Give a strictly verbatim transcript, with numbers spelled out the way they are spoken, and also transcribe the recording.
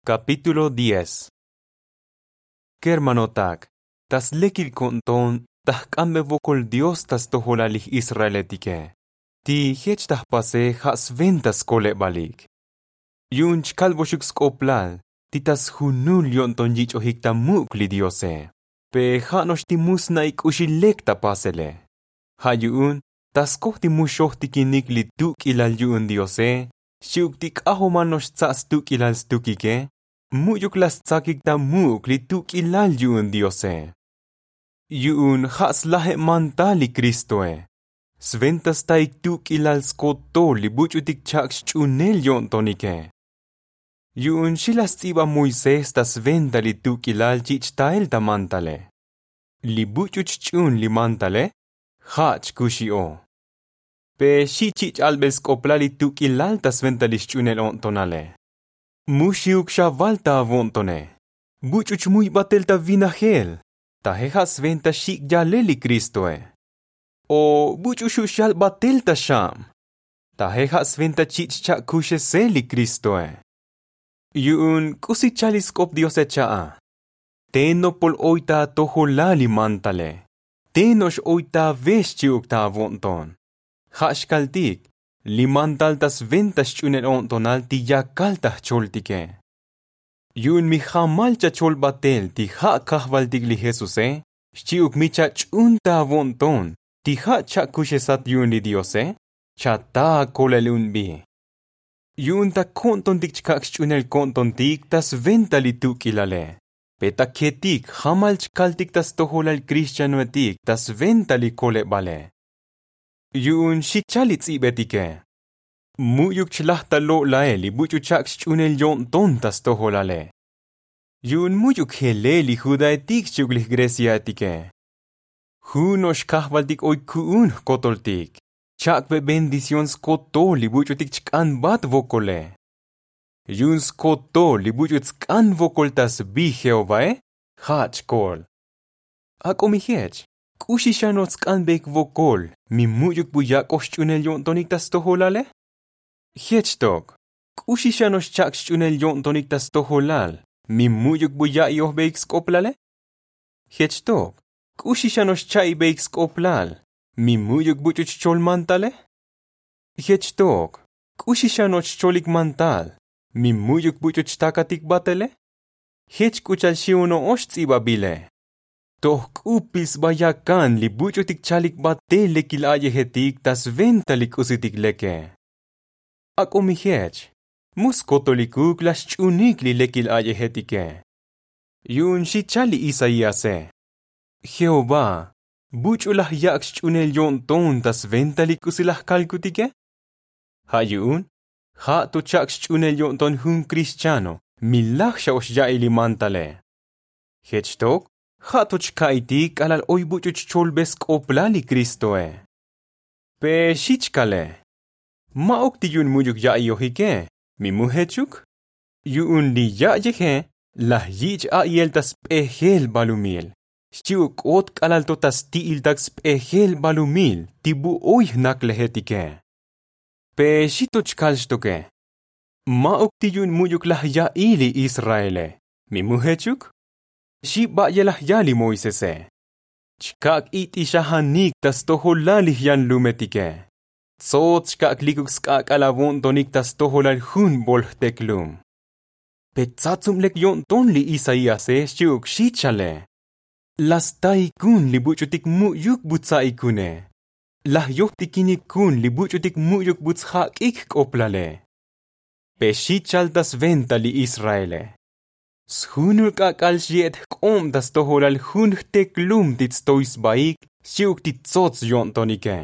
Kapítulo diez. Kermanotak, ta slekil ko'nton ta jk'ambe vokol dios ta stojolal lij israeletike, ti jech ta jpase ja' sventa skolebalik. Yu'un chkalboxuk sk'oplal ti ta sjunul yo'nton yich'ojik ta muk' li diose, pe ja' no'ox ti mu sna'ik k'uxi lek ta pasele. Ja' yu'un ta skoj ti mu xojtikinik li tuk'ilal yu'un diose, xchi'uk ti k'ajomal no'ox tsa' stuk'ilal stukike, mu'yuk laj stsakik ta muk' li tuk'ilal yu'un diose. Yu'un ja' slajeb mantal li kristoe, sventa staik tuk'ilal skotol li buch'utik chak' xch'unel yo'ntonike. Yu'un xi laj sts'iba moisés ta sventa li tuk'ilal chich' tael ta mantale. Li buch'u chch'un li mantale ja' chkuxi o. Pe xi chich' albel sk'oplal li tuk'ilal ta sventa li xch'unel o'ntonale, mu xi'uk xaval ta avo'ntone, buch'u chmuy batel ta vinajel, taje ja' sventa xik' yalel li kristoe. O buch'u xu' xyal batel ta xab, taje ja' sventa chich' cha'kuxesel li kristoe. Yu'un k'usi chal li sk'op diose cha'a, te nopol oy ta atojolal li mantale, te no'ox oy ta ave xchi'uk ta avo'nton. Ja' xkaltik li mantal ta sventa xch'unel o'ntonal ti yakal ta jcholtike. Yu'un mi jamal chachol batel ti ja' kajvaltik li jesuse, xchi'uk mi chach'un ta avo'nton ti ja' cha'kuxesat yu'un li diose, chata akolel unbi. Yu'un ta ko'ntontik chkak' xch'unel ko'ntontik ta sventa li tuk'ilale, pe ta ketik jamal chkaltik ta stojolal kristianoetik ta sventa li kolebale. Yu'un xi chal li ts'ibetike, mu'yuk chlaj ta lo'lael li buch'u chak' xch'unel yo'nton ta stojolale. Yu'un mu'yuk jelel li judaetik xchi'uk li jgreciaetike, jun no'ox kajvaltik oy ku'un jkotoltik, chak' be bendición skotol li buch'utik chk'anbat vokole. Yu'un skotol li buch'u tsk'an vokol ta sbi jehovae ja' chkol. Ak'o mi jech, k'uxi xa no'ox tsk'anbeik vokol mi mu'yuk bu yak'oj xch'unel yo'ntonik ta stojolale? Jech tok, k'uxi xa no'ox chak' xch'unel yo'ntonik ta stojolal mi mu'yuk bu ya'iojbeik sk'oplale? Jech tok, k'uxi xa no'ox cha'ibeik sk'oplal mi mu'yuk buch'u chchol mantale? Jech tok, k'uxi xa no'ox chcholik mantal mi mu'yuk buch'u chtakatik batele? Jech k'u cha'al xi'un no'ox ts'ibabile, toj k'upil sba yakan li buch'utik chalik batel lekil a'yejetik ta sventa li k'usitik leke. Ak'o mi jech, mu skotolikuk laj xch'unik li lekil a'yejetike. Yu'un xi chal li isaíase, jehová, buch'u laj yak' xch'unel yo'nton ta sventa li k'usi laj kalkutike? Ja' yu'un ja' to chak' xch'unel yo'nton jun kristiano mi laj xa ox ya'i li mantale. Jech tok, ja' to chka'itik k'alal oy buch'u chcholbe sk'oplal li kristoe. Pe xi chkale, ma'uk ti yu'un mu'yuk ya'iojike, mi mu jechuk? Yu'un li ya'yeje laj yich' a'yel ta sp'ejel balumil, xchi'uk k'ot k'alal to ta sti'iltak sp'ejel balumil ti bu oy jnaklejetike. Pe xi to chkal xtoke, ma'uk ti yu'un mu'yuk laj ya'i li israele, mi mu jechuk? Xi ba'yelaj ya li moisese, chkak' it'ixajanik ta stojolal li jyanlumetike, tsots chkak' likuk sk'ak'al avo'ntonik ta stojolal jun bol jteklum. Pe tsatsub lek yo'nton li isaíase xchi'uk xi chale, laj staikun li buch'utik mu'yuk bu tsa'ikune, laj yojtikinikun li buch'utik mu'yuk bu tsjak'ik jk'oplale. Pe xi chal ta sventa li israele, sjunul k'ak'al xye'et jk'ob ta stojolal jun jteklum ti tstoy sbaik xchi'uk ti tsots yo'ntonike.